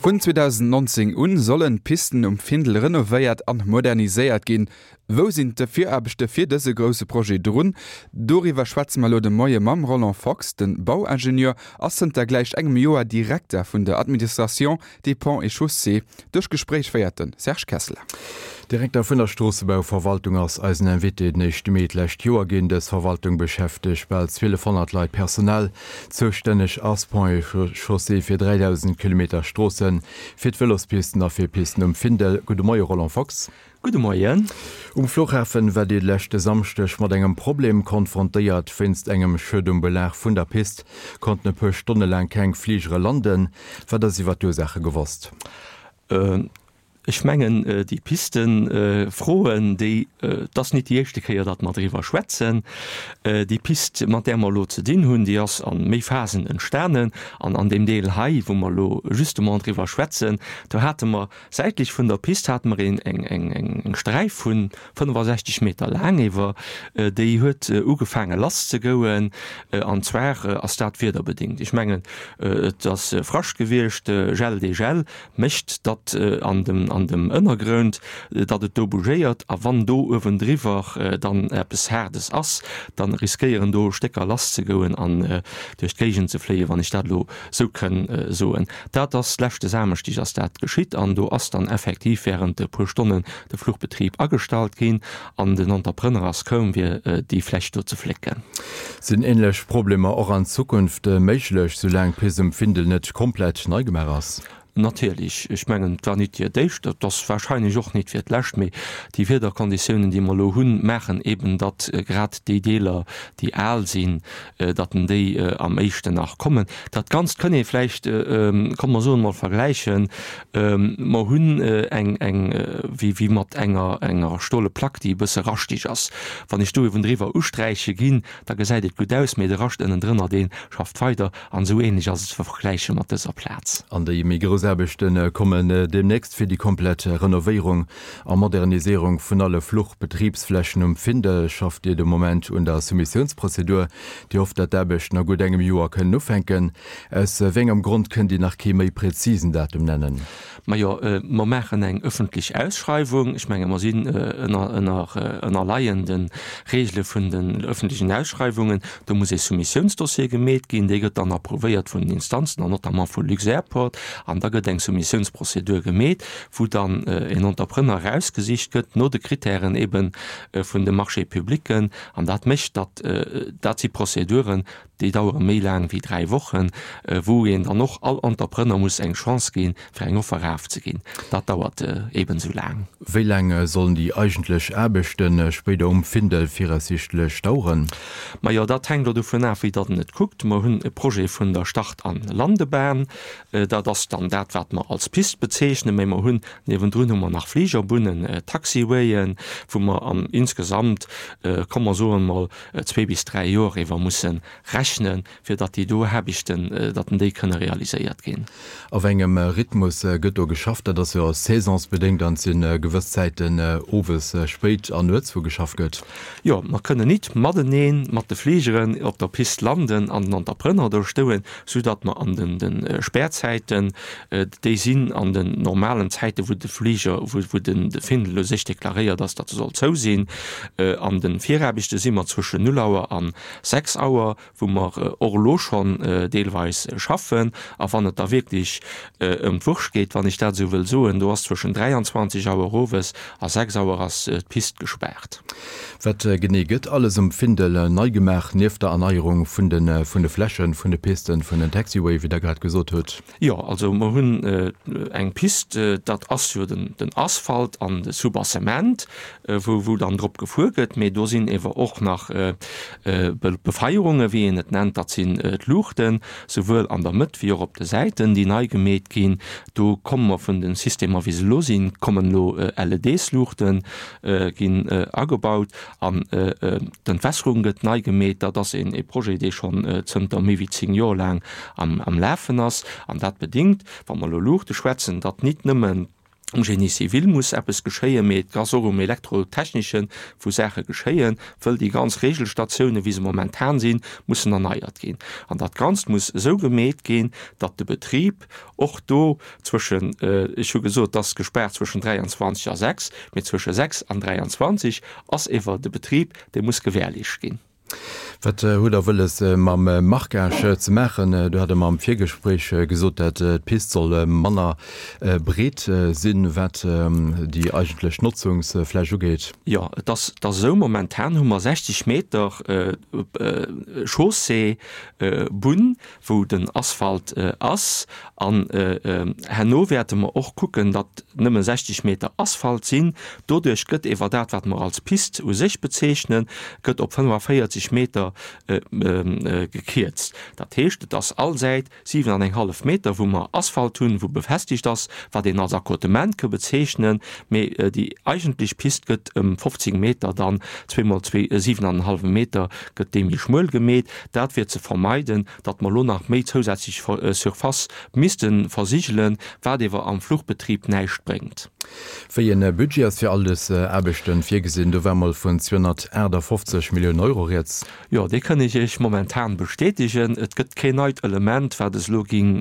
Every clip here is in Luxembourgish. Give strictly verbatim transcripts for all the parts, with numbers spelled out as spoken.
Vun zweedausendnonzéng un sollen d'Pisten um Findel renovéiert an moderniséiert ginn. Wou sinn d'Viraarbechte fir dëse grousse Projet drun? Doriwwer schwätze mer elo de Moie mam Roland Fox. De Bauingenieur ass zënter gläich engem Joer Direkter vun der Administration des Ponts et Chaussées. Dëst Gespréich féiert de Serge Kessler. Direkter vun der Stroossebauverwaltung ass eisen Invité. Den éischte Mee d'lescht Joer ginn. Dës Verwaltung beschäftegt bal zwielefhonnert Leit personell. Zoustänneg ass Ponts et Chaussées fir dräidausend Kilometer Stroossen, fir d'Vëlospisten a fir Pisten um Findel. Gudde Moie Roland Fox. Gudde Moien. Um Fluchhafen war Dir leschte Samschdeg mat engem Problem konfrontéiert. Wéinst engem Schued um Belag vun der Pist konnten e puer Stonne laang keng Fligere landen. Wat ass iwwer d'Ursaache gewosst? Ech mengen, déi Pistenfroen, déi, et ass nit déi éischte Kéier, datt mer driwwer schwätzen. Déi Pist, mat där mer elo ze dinn hunn, déi ass a méi Phasen entstanen. An an deem Deel hei, wou mer elo justement driwwer schwätzen, do hate mer säitlech vun der Pist hate mer een, eng, eng, eng Sträif vu fënnefasechzeg Meter laang iwwer, déi huet ugefaange lasszegouen. An zwar ass dat wiederbedéngt. Ech mengen, et ass Frascht gewiescht, Gel, Dégel mécht, datt an dem, an dem Ënnergrond, datt et do bougéiert, a wann do uewendriwwer dann eppes Haardes ass, da riskéieren do Stécker lasszegoen an duerch d'Géigend ze fléien, wann ech dat elo esou kënn soen. Dat ass leschte Samschdeg ass dat geschitt an do ass dann effektiv während e puer Stonnen de Fluchbetrib agestallt ginn an den Entrepreneur ass koum, fir déi Fläch do ze flécken. Sinn änlech Problemer och an Zukunft méiglech, soulaang d'Pist um Findel net komplett nei gemaach ass? Natierlech, ech mengen, et war nit fir d'éischt, et ass wahrscheinlech och nit fir d'lescht, mee déi Wiederkonditiounen, déi mer elo hunn, maachen eben, datt grad déi Deeler, déi al sinn, datt en déi am éischten nach kommen. Dat Ganzt kënn ee vläicht, komm mer soen emol, vergläichen, mer hunn eng, eng, wéi, wéi mat enger, enger stole Plack, déi e bësse raschteg ass. Wann ech do uewendriwwer usträiche ginn, da gesäit et gutt aus, mee de Rascht ënnendrënner, dee schafft weider. An esou ähnlech ass et ze vergläiche mat dëser Plaz. An déi méi grouss Aarbechte kommen deemnächst fir déi komplett Renovéierung a Moderniséierung vun alle Fluchbetribsflächen um Findel. Schafft Dir de Moment un der Soumissiounsprozedur? Dir hofft, datt d'Aarbechten a gutt engem Joer kënnen ufänken. Aus wéi engem Grond kënnt Dir nach kee méi präzisen Datum nennen? Majo, mer maachen eng ëffentlech Ausschreiwung. Ech menge mer sinn ënner, ënner, ënnerleien de Regele vun den ëffentlechen Ausschreiwungen. Do muss ee Soumissiounsdossier gemeet ginn. Dee gëtt dann approuvéiert vun den Instanzen an notamment vu Luxairport. An da gëtt eng Soumissiounsprozedur gemeet, wou dann een Entrepreneur erausgesicht gëtt no de Kritären eebe vun de Marchés publics. An dat mécht, datt, dat si Prozeduren, déi dauere méi laang wéi dräi Wochen, wou een dann och all Entrepreneur muss eng Chance ginn, fir eng Offer erafzeginn. Dat dauert eben esou laang. Wéi laang sollen déi eigentlech Aarbechte spéider um Findel viraussiichtlech daueren? Majo, dat hänkt elo dovun af, wéi datt en et kuckt. Mer hunn e Projet vun der Start an Landebahn. Dat ass dann dat, wat mer als Pist bezeechnen. Mä mer hunn niewendrun hu mer nach Fligerbunnen, Taxiwayen, wou mer an insgesamt, komm mer soen emol, zwee bis dräi Joer iwwer musse rechnen, fir datt déi do Aarbechten, datt déi kënne realiséiert ginn. A wéi engem Rhythmus gëtt do geschafft? Dat ass jo saisonsbedéngt an et si gewëss Zäiten owes spéit an nuets, wou geschafft gëtt. Jo, mer kënnen nit matenee mat de Fligeren op der Pist landen an den Entrepreneur do stouen, soudatt mer an den de Spärzäiten, déi sinn an den normalen Zäiten, wou de Fliger, wou den Findel u sech deklaréiert ass, datt e soll zou sinn. An de Viraarbechte si mer zwëschen null Auer an sechs Auer, wou mer och elo schonn deelweis schaffen. A wann et da wierklech ëm d'Wurscht geet, wann ech dat esou wëll soen, do ass zwëschen dräianzwanzeg Auer owes a sechs Auer ass d'Pist gespaart. Wat genee gëtt alles um Findel nei gemaach, nieft der Erneierung vun de vun de Flächen, vun de Pisten, vun den Taxiway, wéi Der grad gesot hutt? Jo, also mer hunn eng Pist, dat ass jo den den Asphalt an de Soubassement, wou wou dann drop gefuer gëtt. Mee do sinn ewer och nach Befeierungen, wéi een et nennt, dat sinn d'Luuchten, souwuel an der Mëtt wéi och op de Säiten, déi nei gemeet ginn. Do komme mer vun de Systemer, wéi se elo sinn, kommen elo L E Ds-Luuchte ginn agebaut an d'Entwässerung gëtt nei gemeet. Dat ass een e Projet, dee schonn zënter méi wéi zéng Joer laang am Lafen ass. An dat bedéngt, wa mer elo Luuchte schwätzen, datt nit nëmmen Um Génie civil muss eppes geschéien, mee et ass och um Elektrotechneschen, wou Saache geschéien, wëll déi ganz Regelstatiounen, wéi se momentan sinn, mussen erneiert ginn. An dat Ganzt muss esou gemeet ginn, datt de Betrib och do zwëschen, ech hu gesot, et ass gespaart zwëschen dräianzwanzeg a sechs, mee zwësche sechs an dräianzwanzeg ass ewer de Betrib, dee muss gewährleescht ginn. Wat hutt Der wëlles mam Marquage ze maachen? Do hat Der mer am Virgespréich gesot, dat d'Pist soll manner breet sinn, wat déi eigentlech Notzungsfläch ugeet. Jo, et ass et ass esou, momentan hu mer sechzeg Meter Chaussée, Bunn, wou den Asphalt ass. An herno wäerte mer och kucken, datt nëmme sechzeg Meter Asphalt sinn. Doduerch gëtt ewer dat, wat mer als Pist u sech bezeechnen, gëtt op fënnefavierzeg Meter gekierzt. Dat heescht, et ass all Säit siwen an eng hallef Meter, wou mer Asphalt hunn, wou befestigt ass, wat een als Accotement ke bezeechnen, mee déi eigentlech Pist gëtt ëm fofzéng Meter dann, zweemol zwee, siwen an en hallwe Meter, gëtt déi méi schmuel gemeet. Dat fir ze vermeiden, datt mer elo nach méi zousätzlech Surface misste versigelen, wat ewer am Fluchbetrib näischt bréngt. Wéi en Budget ass fir all dës Aarbechten virgesinn? Do war mol vun zweehunnertaachtafoffzeg Milliounen Euro rieds. Jo, dee kënn ech Iech momentan bestätegen. Et gëtt keen neit Element, wat es elo ging,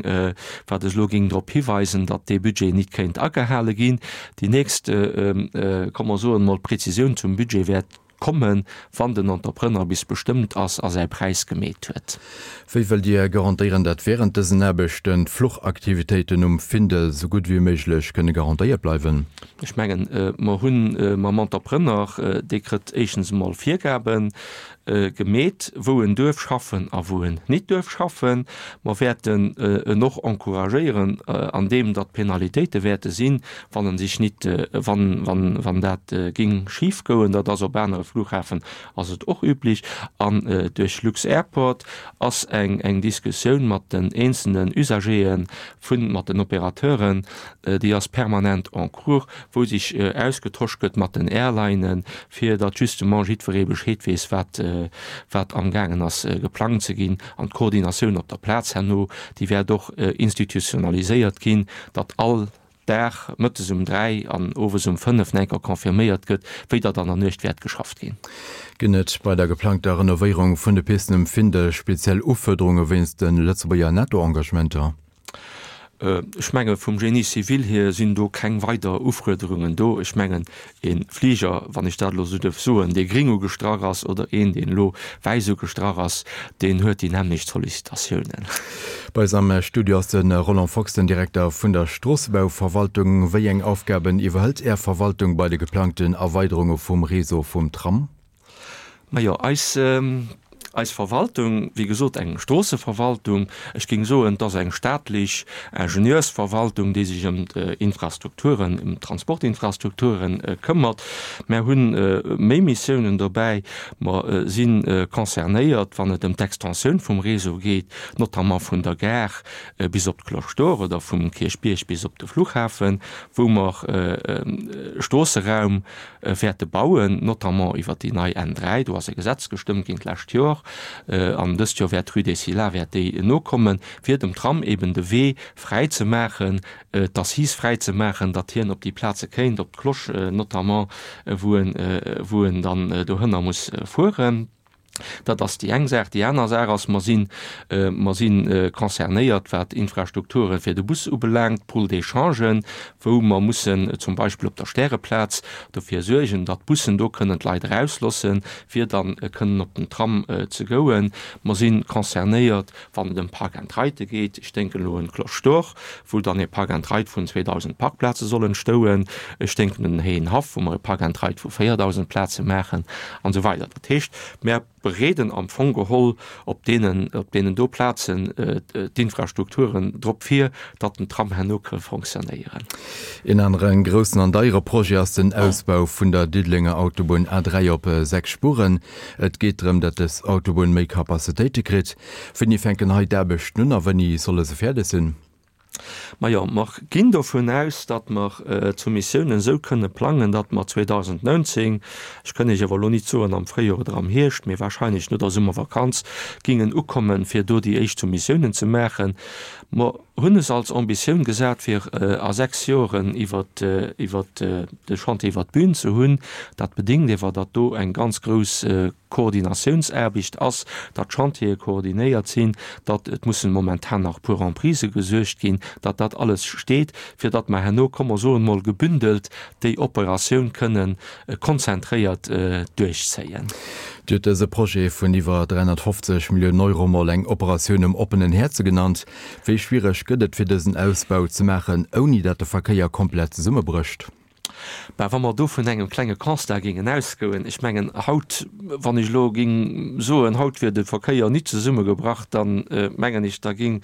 wat es elo ging drop hiweisen, datt dee Budget nit kéint agehale ginn. Déi nächst, komm mer soen emol, Präzisioun zum Budget wäert kommen, wann den Entrepreneur bis bestëmmt ass a säi Präis gemeet huet. Wéi wëllt Dir garantéieren, datt während dësen Aarbechten d'Fluchaktivitéiten um Findel sou gutt wéi méiglech kënne garantéiert bleiwen? Ech mengen, mer hu mam Entrepreneur, dee kritt éischtens emol Virgabe gemeet, wou en duerf schaffen a wou en nit duerf schaffen. Mer wäerten en och encouragéieren an deem, datt Penalitéite wäerte sinn, wann en sech nit, wann, wann, wann dat géing schif goen. Dat ass op anere Flughafen ass et och üblich. An duerch lux-Airport ass eng, eng Diskussioun mat den eenzelnen Usagéë vun, mat den Opérateuren, déi ass permanent en cours, wou sech ausgetosch gëtt mat den Airlinen, fir datt justement jiddweree Bescheed weess, wat, wat amgaangen ass geplangt ze ginn. An d'Koordinatioun op der Plaz herno, déi wäert och institutionaliséiert ginn, datt all Dag mëttes um dräi an owes um fënnef nach eng Kéier confirméiert gëtt, wéi datt an der Nuecht wäert geschafft ginn. Ginn et bei der geplangter Renovéierung vun de Pisten um Findel speziell Ufuerderunge wéinst de Lëtzebuerger Nettoengagementer? Ech menge vum Génie civil hier sinn do keng weider Ufuerderungen do. Ech mengen e Fliger, wann ech dat elo esou duerf soen, dee gring ugestrach ass oder een, deen elo wäiss ugestrach ass, deen huet déi nämmlecht Sollicitatiounen. Bei eis am Studio ass de Roland Fox, den Direkter vun der Stroossebauverwaltung. Wéi eng Aufgaben iwwerhëlt Är Verwaltung bei de geplangten Erweiderunge vum Réseau vum Tram? Majo, eis Eis Verwaltung, wéi gesot eng Stroosseverwaltung, ech géing soen, et ass eng staatlech Ingenieursverwaltung, déi sech ëm d'Infrastrukturen, ëm d'Transportinfrastrukturen këmmert. Mär hunn méi Missiounen dobäi. Mer si concernéiert, wann et ëm d'Extensioun vum Réseau geet, notamment vun der Gare bis op d'Cloche d'Or oder vum Kierchbierg bis op de Flughafen, wou mer Stroosseraum wäerte bauen, notamment iwwert déi nei N dräi, do ass e Gesetz gestëmmt ginn d'lescht Joer, an dëst Joer wäert d'Rue des Scillas wäert déi nokommen, fir dem Tram eben de Wee fräi ze maachen, d'Assise fräi ze maachen, datt hien op déi Plaze kéint, op d'Cloche notamment, wou en, wou en dann dohënner muss fueren. Dat ass déi eng Saach. Déi aner Saach ass, mer sinn, mer si concernéiert, wat Infrastrukture fir de Bus ubelaangt, Pôles d'échangen, wou mer mussen zum Beispill op der Stäreplaz dofir suergen, datt d'Bussen do kënnen d'Leit erauslossen, fir dann kënnen op den Tram ze gouen. Mer si concernéiert, wann et ëm Park-and-Ride geet. Ech denken elo un d'Cloche d'Or, wou dann e Park-and-Ride vun zweedausend Parkplaze soll entstouen. Ech denken un den Héienhaff, wou mer e Park-and-Ride vu véierdausend Plaze maachen an esou weider. Dat heescht, mer bereeden am Fong geholl op deenen, op deenen do Plazen d'Infrastrukturen drop vir, datt den Tram herno ka fonctionnéieren. Een anere groussen an deiere Projet ass den Ausbau vun der Diddelenger Autobunn A dräi op sechs Spuren. Et geet drëm, datt dës Autobunn méi Capacitéite kritt. Wéini fänken hei d'Aarbechten un a wéini solle se fäerdeg sinn? Majo, mer ginn dovun aus, datt mer d'Soumissiounen esou kënne plangen, datt mer zweedausendneunzéng, ech kënn Iech awer elo nit soen am Fréijoer oder am Hierscht, mee wahrscheinlech no der Summervakanz, gingen ukommen, fir do déi éischt Soumissiounen ze maachen. Mer hunn es als Ambitioun gesat, fir a sechs Joren iwwert iwwert de Chantier iwwert d'Bün ze hunn. Dat bedéngt ewer, datt do eng ganz grouss Koordinatiounsaarbecht ass, datt d'Chantiere koordinéiert sinn, datt, et mussen momentan nach e puer Emprisë gesuergt ginn, datt dat alles steet, fir datt mer herno, komm mer soen emol gebündelt, déi Operatioun kënnen konzentréiert duerchzéien. Dir hutt dëse Projet vun iwwer dräihonnertfofzeg Milliounen Euro mol eng Operatioun um oppenen Häerze genannt. Wéi schwiereg gëtt et fir dësen Ausbau ze maachen, ouni datt de Verkéier komplett zesummebrécht? Ben, wa mer do vun engem klenge Constat géingen ausgoen, ech mengen haut, wann ech elo géing soen, haut wier de Verkéier nit zesummegebrach, da mengen ech, da géing,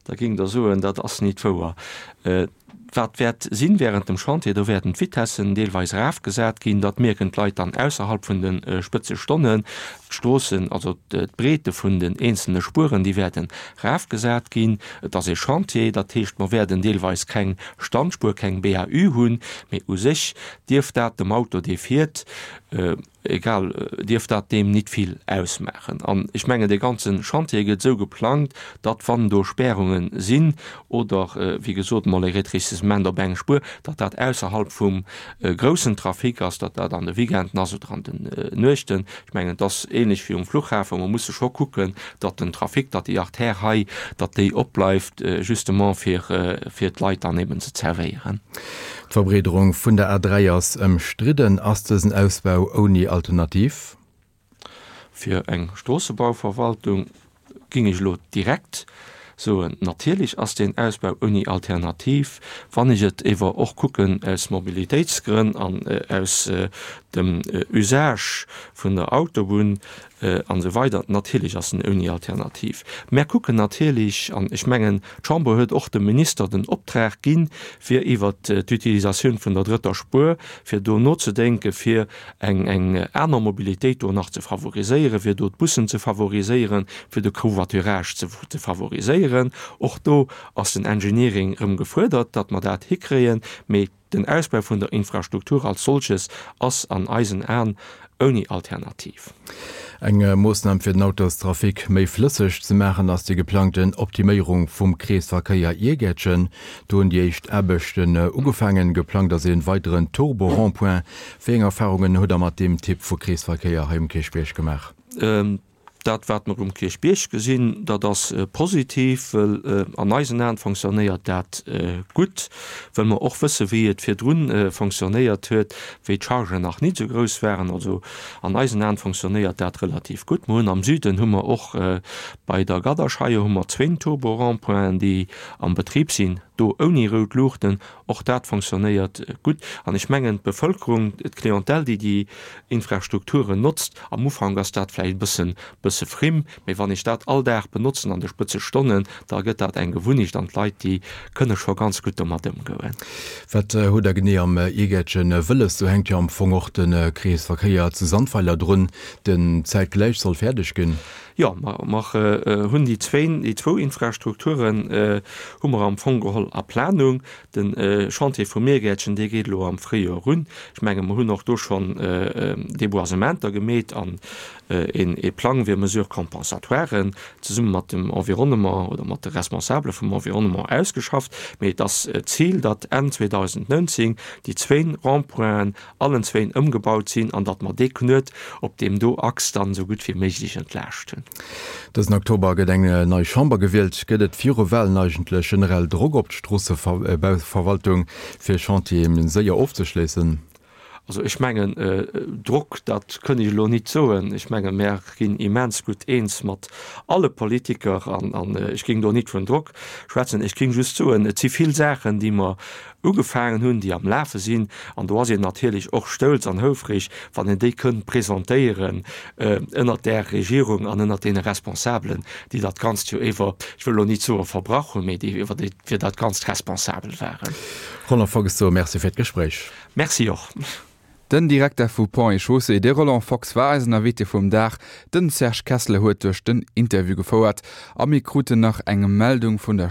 da géingt Der soen, dat ass nit wouer. Wat wäert sinn während dem Chantier, do wäerten d'Vitessen deelweis erafgesat ginn, dat mierken d'Leit dann ausserhalb vun de Spëtzestonnen. D'Stroossen, also d'Breete vun den eenzelne Spueren, déi wäerten erafgesat ginn. Et ass ee Chantier, dat heescht, mer wäerten deelweis keng Standspuer, keng B A U hunn, mee u sech dierft dat dem Auto, dee fiert, egal, dierft dat deem nit vill ausmaachen. An ech mengen, dee ganze Chantier gëtt esou geplangt, datt, wann do Spärunge sinn oder, wéi gesot, mol e Rétrécissement op eng Spuer, datt dat ausserhalb vum groussen Trafic ass, datt dat an de Weekenden ass oder an den Nuechten. Ech mengen, et ass ähnlech wéi um Flughafen, mer musse scho kucken, datt den Trafic, datt déi Artère hei, datt déi opbleift, justement fir, fir d'Leit dann eben ze zerwéieren. D'Verbreederung vun der A dräi ass ëmstridden. Ass dësen Ausbau ouni Alternativ? Fir eng Stroossebauverwaltung géing ech elo direkt soen, natierlech ass deen Ausbau ouni Alternativ. Wann ech et ewer och kucken aus Mobilitéitsgrënn an aus dem Usage vun der Autobunn an esou weider, natierlech ass en ouni Alternativ. Mär kucken natierlech, an ech mengen, d'Chamber huet och dem Minister den Optrag ginn, fir iwwert d'Utilisatioun vun der drëtter Spuer, fir do nozedenken, fir eng eng aner Mobilitéit do nach ze favoriséieren, fir do d'Bussen ze favoriséieren, fir de Covoiturage ze ze favoriséieren. Och do ass den Engineering erëm gefuerdert, datt mer dat hikréien. Mee den Ausbau vun der Infrastruktur als solches ass an eisen Aen ouni Alternativ. Eng Moossnam fir den Autostrafic méi flësseg ze maachen ass déi geplangten Optiméierung vum Kreesverkéier Iergäertchen. Do hunn déi éischt Aarbechten ugefaangen. Geplangt ass ee weideren Turbo-Rond-point. Wéi eng Erfarungen hutt Der mat deem Typ vu Kreesverkéier hei um Kierchbierg gemaach? Dat, wat mer um Kierchbierg gesinn, dat ass positiv, well an eisen Aen fonctionnéiert dat gutt, well mer och wësse wéi et virdrun fonctionnéiert huet, wéi d'Chargen nach nit esou grouss waren. Also an eisen Aen fonctionnéiert dat relativ gutt. Mer hunn am Süden hu mer och bei der Gadderscheier hu mer zwéin Turbo-Rond-pointen, déi am Betrib sinn, do ouni rout Luuchten. Och dat fonctionnéiert gutt. An ech mengen, d'Bevëlkerung, d'Clientèle, déi déi Infrastrukturen notzt, am Ufank ass dat vläicht e bëssen, bësse frimm, mee wann ech dat all Dag benotzen an de Spëtzestonnen, da gëtt dat eng Gewunnecht an d'Leit, déi kënne scho ganz gutt domat ëmgoen. Wat hutt Der genee am Iergäertchen wëlles? Do hänkt jo am Fong och de Kreesverkéier zu Sandweiler drun, den zäitgläich soll fäerdeg ginn. Jo, mer hunn déi zwéin, déi zwou Infrastrukturen hu mer am Fong geholl a Planung. De Chantier vum Miergäertchen, dee geet elo am Fréijoer erun. Ech menge mer hunn och do schonn Deboisementer gemeet an ee Plang fir Mesures compensatoires zesumme mat dem Environnement oder mat de Responsabele vum Environnement ausgeschafft. Mee et ass d'Zil, datt Enn zweedausendneunzéng déi zwéin Rond-pointen allen zwéin ëmgebaut sinn an datt mer dee Knuet op deem do Achs dann esou gutt wéi méiglech entlaaschten. Dësen Oktober gëtt eng nei Chamber gewielt. Gëtt et viru Walen eigentlech generell Drock op d'Stroossebauverwaltung, fir Chantiere séier ofzeschléissen? Also ech mengen, Drock, dat kënn ech elo nit soen. Ech menge mär ginn immens gutt eens mat alle Politiker an ech géing do nit vun Drock schwätzen. Ech géing just soen, et si vill Saachen, déi mer ugefaangen hunn, déi am Lafe sinn, an do ass een natierlech och stolz an houfreg, wann een déi kënnt presentéieren ënnert där Regierung an ënnert deene Responsabelen, déi dat Ganzt jo iwwer, ech wëll elo nit soe verbrach hunn, mee déi iwwer déi fir dat Ganzt responsabel waren. Roland Fox, merci fir d'Gespréich. Merci och. Den Direkter vu Ponts et Chaussées, de Roland Fox, war eisen Invité vum Dag. Den Serge Kesseler huet duerch den Interview gefouert. A mir kruten nach eng Meldung vun der.